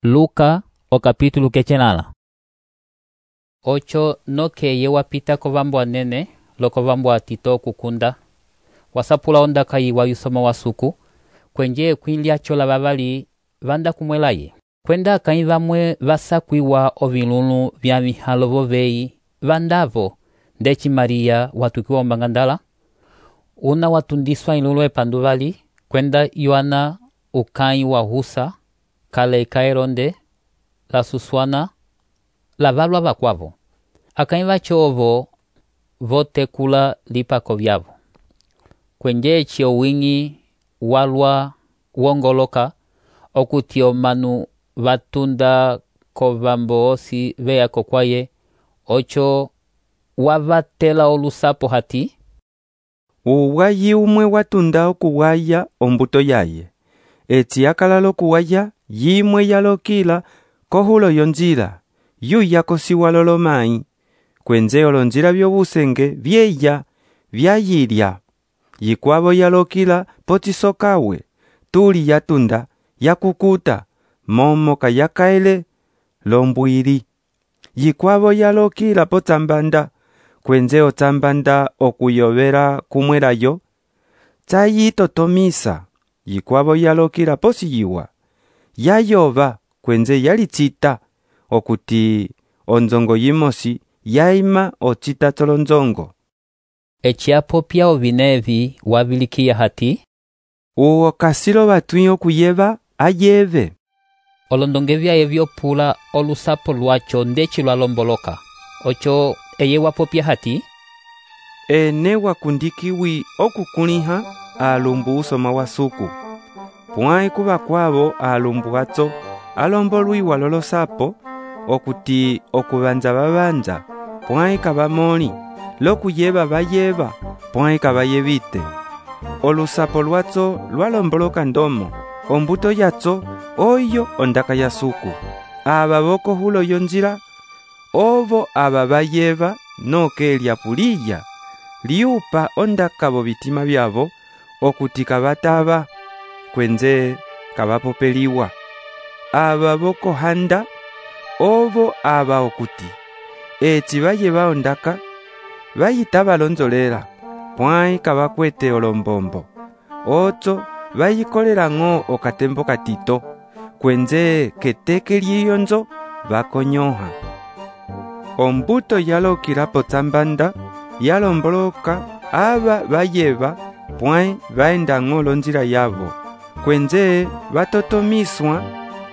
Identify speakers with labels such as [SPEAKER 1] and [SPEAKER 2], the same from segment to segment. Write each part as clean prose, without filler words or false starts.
[SPEAKER 1] Luka o capítulo kecenala. Ocho nokeye wapita kovambo anene lokovambo atito okukunda wasapula ondaka yiwa yusoma wasuku kwenje kwinlia chola vavali vanda kumwelaye kwenda akanyi vamwe vasakwiwa ovilulu vya mihalo voveyi vandavo ndeci Maria watukiwa ombangandala una watundiswa ilulu epanduvali kwenda Yohana ukanyi wa husa kale ikaeronde la suswana la valwa vakwavo akanyi vachovo votekula lipako vyavo kwenje echio wingi walwa wongoloka okuti omanu vatunda kovambo osi veya kokwaye ocho wavatela olusapo hati
[SPEAKER 2] uwayi umwe watunda okuwaya ombuto yaye eti akalala okuwaya yimwe yalokila kohulo yonjila yuya kosiwa lolomai kwenze olonjila vyobusenge vyeya vyayilya yikwavo yalokila potisokawe tuli yatunda yakukuta momo kayakaele lombwili yikwavo yalokila potambanda kwenze otambanda okuyovera kumwelayo tayitotomisa yikwavo yalokila posiyiwa yayova kwenze yalicita okuti onzongo yimosi yaima ocita tolonzongo
[SPEAKER 1] echiapopya ovinevi wavilikiya hati
[SPEAKER 2] uwo kasilo vatwi okuyeva ayeve
[SPEAKER 1] olondonge vyaye vyopula olusapo lwacho ndeci lwalomboloka ocho eye wapopya hati
[SPEAKER 2] ene wakundikiwi okukuliha alumbu usoma wasuku pwai kuva kwavo alumbu atso alombolwiwa lolosapo okuti okuvanza vavanja pwai kavamoli lokuyeva vayeva pwai kavayevite olusapo lwatso lwalomboloka ndomo ombuto yatso oyo ondaka yasuku ava vokohulo yonjila ovo ava vayeva nokelya puliya liupa ondaka vovitima vyavo okuti kavatava kwenze kavapopeliwa ava vokohanda ovo ava okuti eti vayeva ondaka vayitava lonzolela pwai kavakwete olombombo otso vayikolela ng'o okatembo katito kwenze keteke liyonzo vakonyoha ombuto yalokila potsambanda yalomboloka ava vayeva pwai vaenda ng'o lonjila yavo kwenze vatotomiswa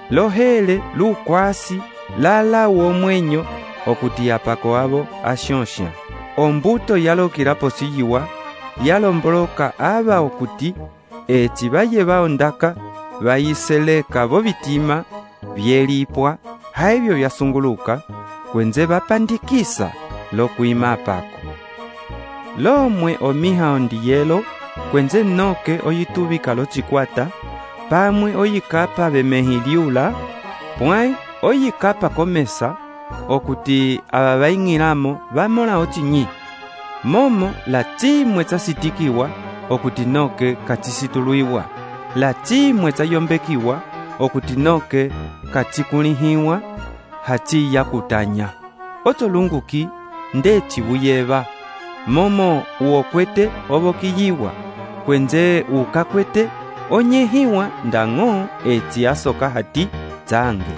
[SPEAKER 2] lohele lukwasi lala womwenyo okuti apako avo ashonsha ombuto yalokila posiyiwa yalomboloka ava okuti eti vayeva ondaka vayiseleka vovitima vyelipwa haivyo vyasunguluka kwenze vapandikisa lokuima apako lomwe omiha ondiyelo kwenze noke oyituvika locikwata pamwe oyikapa vemehi liula pwai oyikapa komesa okuti ava vaing'ilamo vamola ocinyi momo lacimwe tsasitikiwa okuti noke kacisituluiwa lacimwe tsayombekiwa okuti noke kacikulihiwa haciya kutanya otsolunguki ndeci vuyeva momo uokwete ovokiyiwa kwenze ukakwete onyehiwa ndang'o eci asoka hati tsange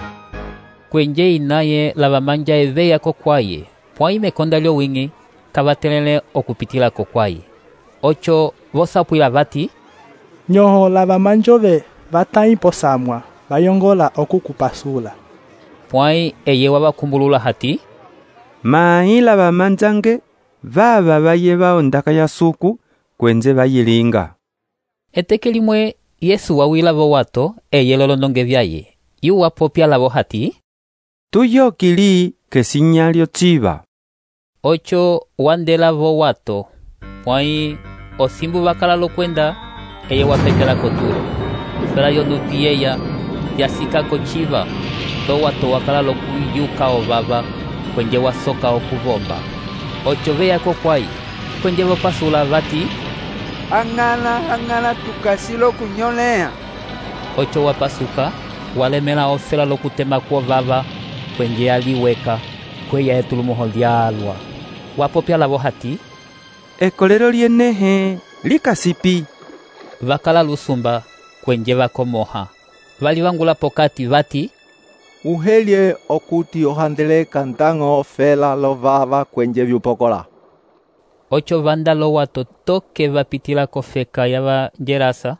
[SPEAKER 1] kwenje inaye lavamanja eveya kokwaye pwai mekonda lyowing'i kavatelele okupitila kokwaye ocho vosapwila vati
[SPEAKER 3] nyoho lavamanjove vatayi posamwa vayongola okukupasula
[SPEAKER 1] pwai eye wavakumbulula hati
[SPEAKER 2] mai lavamanjange vava vayeva ondaka yasuku kwenze vayilinga
[SPEAKER 1] eteke limwe Yesu wawila vo wato eye lolondonge vyaye yuwapopya lavo hati
[SPEAKER 2] tuyokili kesinyalyo civa
[SPEAKER 1] ocho wandela vo wato pwai osimbu vakala lokwenda eye wapetela kotulo fela yonupi yeya yasikako civa to wato wakala lokuyuka ovava kwenje wasoka okuvomba ocho veya kokwai kwenje vopasula vati
[SPEAKER 4] ang'ala tukasilo kunyolea
[SPEAKER 1] ocho wapasuka walemela ofela lokutema kwovava kwenje aliweka kweya etulumoho lyalwa. Wapopya lavo hati,
[SPEAKER 2] ekolelo lyenehe likasipi.
[SPEAKER 1] Vakala lusumba kwenje vakomoha. Vali vangula pokati vati,
[SPEAKER 4] uhelye okuti ohandeleka ntango ofela lovava kwenje vyupokola.
[SPEAKER 1] Ocho vanda lo wato toke vapitila kofeka ya vanjerasa.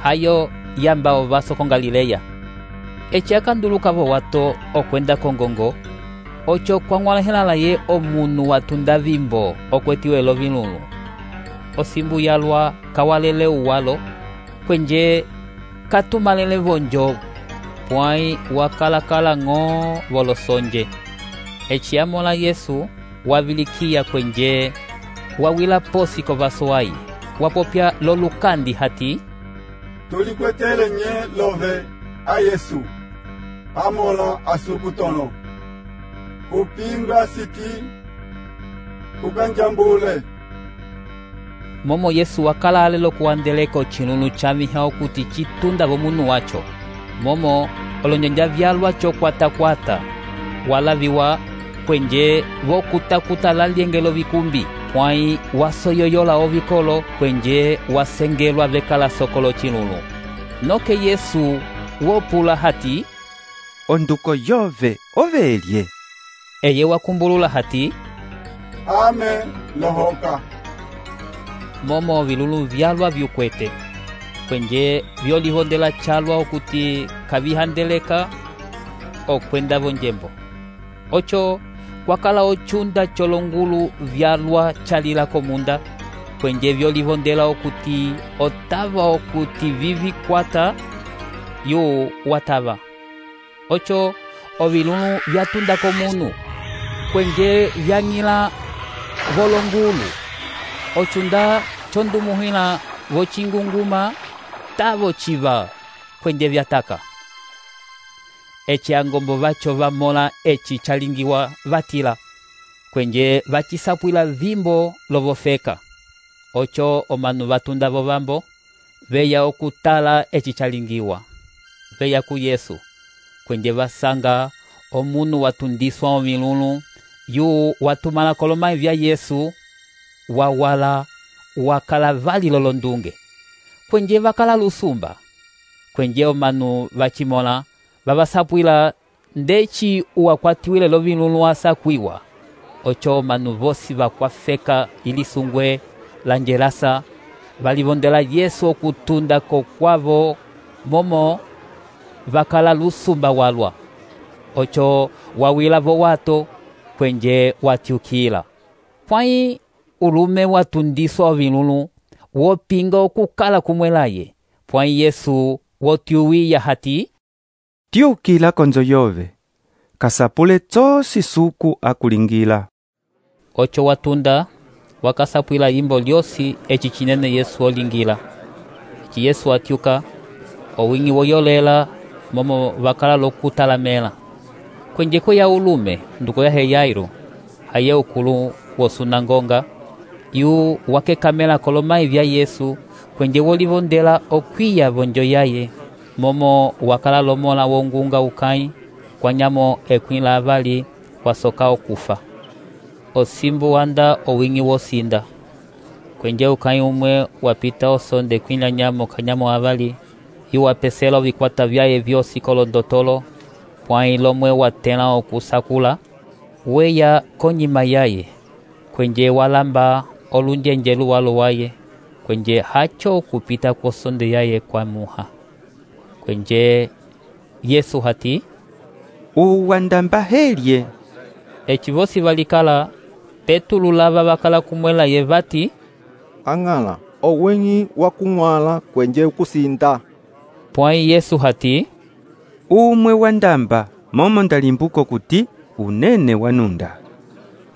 [SPEAKER 1] Hayo yamba ovaso con Galileya. Eche akanduluka vo wato okwenda kongongo. Ocho kwang'walahela ye omunu watunda vimbo okwetiwelo vinulu. Osimbu yalwa kawalele uwalo kwenje katumalele vonjo pwai wakalakala ng'o volosonje. Eche amola Yesu wavilikia kwenje wawila posi kovaso ai. Wapopya lolukandi hati,
[SPEAKER 5] tulikwetele nye love a Yesu amola asukutono kupinga siti kukanjambule.
[SPEAKER 1] Momo Yesu wakala alelo kuandeleko chinunu chamiha okuti chitunda vomunu wacho. Momo olonjanja vyalwa chokwata walaviwa kwenje vokutakuta laliengelo vikumbi pwai wasoyoyola ovikolo kwenje wasengelwa vekala sokolo chinunu. Noke Yesu wopula hati,
[SPEAKER 2] onduko yove ovelye.
[SPEAKER 1] Eye wakumbulula hati,
[SPEAKER 5] ame lohoka.
[SPEAKER 1] Momo vilulu vyalwa vyukwete kwenje vyolihondela chalwa okuti kavihandeleka okwenda vonjembo. Ocho kwakala ochunda cholongulu vyalwa chalila komunda kwenje vyolihondela okuti otava okuti vivikwata yu watava. Ocho ovilulu vyatunda komunu kwenje vyang'ila volongulu. Ochunda chondumuhila vochingunguma tavo chiva kwenje vyataka. Eche angombo vacho vamola echi chalingiwa vatila kwenje vachisapwila vimbo lovofeka. Ocho omanu vatunda vovambo veya okutala echi chalingiwa. Veya ku Yesu kwenje vasanga omunu watundiswa omilulu yu watumala kolomai vya Yesu wawala wakala vali lolondunge. Kwenje vakala lusumba kwenje omanu vachimola vavasapwila ndechi uwakwatiwile lovinulu asakwiwa. Ocho omanu vosi vakwafeka ilisungwe lanjerasa valivondela Yesu okutunda kokwavo momo vakala lusumba walwa. Ocho wawila vo wato kwenje watiukila. Pwai ulume watundiswa ovinulu wopinga okukala kumwelaye. Pwai Yesu wotiuwiya hati,
[SPEAKER 2] tiukila konzo yove kasapule tsosi suku akulingila.
[SPEAKER 1] Ocho watunda wakasapwila yimbo lyosi echi chinene Yesu olingila. Echi Yesu atiuka owingi woyolela momo vakala lokutalamela. Kwenje ko ya ulume nduko ya Yairo haye ukulu wosunangonga yu wakekamela kolomai vya Yesu kwenje wolivondela okwiya vonjo yaye momo wakala lomola wongunga ukai kwa nyamo ekwila avali wasoka okufa. Osimbu wanda owingi wosinda kwenje ukai umwe wapita osonde kwila nyamo kanyamo avali yu wapesela vikwata vyaye vyosi kolondotolo pwai lomwe watela okusakula weya konyima yaye kwenje walamba olunjenjelu walo waye kwenje hacho kupita kosonde yaye kwa muha. Kwenje Yesu hati,
[SPEAKER 2] uwandamba helye.
[SPEAKER 1] Echi vosi valikala petulu lava vakala kumwela ye vati,
[SPEAKER 4] ang'ala owengi wakung'wala kwenje kusinda.
[SPEAKER 1] Pwai Yesu hati,
[SPEAKER 2] umwe wandamba momo ndalimbuko kuti unene wanunda.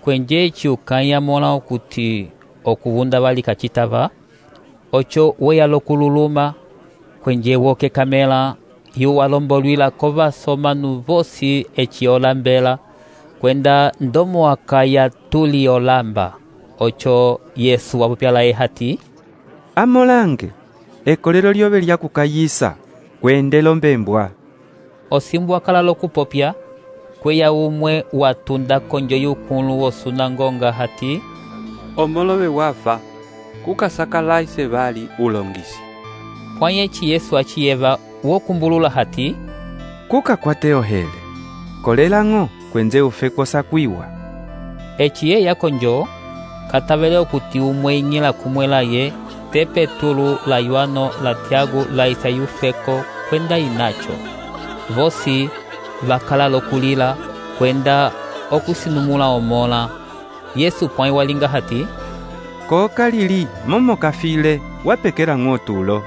[SPEAKER 1] Kwenje chiukaya mola okuti okuvunda valika chitava. Ocho weya lokululuma kwenje woke kamela yu walombolwila kova somanu vosi echi olambela kwenda ndomo akaya tuli olamba. Ocho Yesu wapupyala hati,
[SPEAKER 2] amolange ekolelo lyove lyakukayisa kwendelo mbembwa.
[SPEAKER 1] Osimbu akala lokupopya, kweya umwe watunda konjo yukulu wosunangonga hati,
[SPEAKER 6] omolove wafa, kukasakalaise vali ulongisi.
[SPEAKER 1] pwanya eci Yesu achiyeva wokumbulula hati,
[SPEAKER 2] Kukakwate ohele, kolelang'o kwenze ufe kosakwiwa.
[SPEAKER 1] eci yeya konjo, katavele okuti umwe inyela kumwela ye, te Petulu la Yohano la Tiago la Isayufeko kwenda inacho. Vosi vakala lokulila kwenda okusinumula omola. Yesu pwanya walinga hati,
[SPEAKER 2] Kokalili momo kafile wapekela ng'otulo.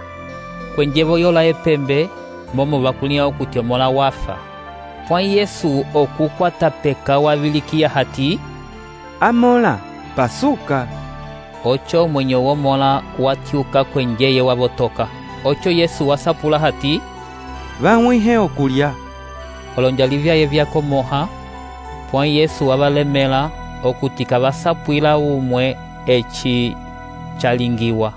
[SPEAKER 1] kwenjevo yola epembe, momo vakulia okuti omola wafa. Pwanya Yesu okukwata peka wavilikia hati,
[SPEAKER 2] Amola, pasuka.
[SPEAKER 1] ocho mwenye womola watyuka kwenjeye wavotoka. Ocho Yesu wasapula hati,
[SPEAKER 2] Vamwihe okulya.
[SPEAKER 1] olonja livyaye vyakomoha, pwanya Yesu wavalemela okuti kavasapwila umwe eci chalingiwa.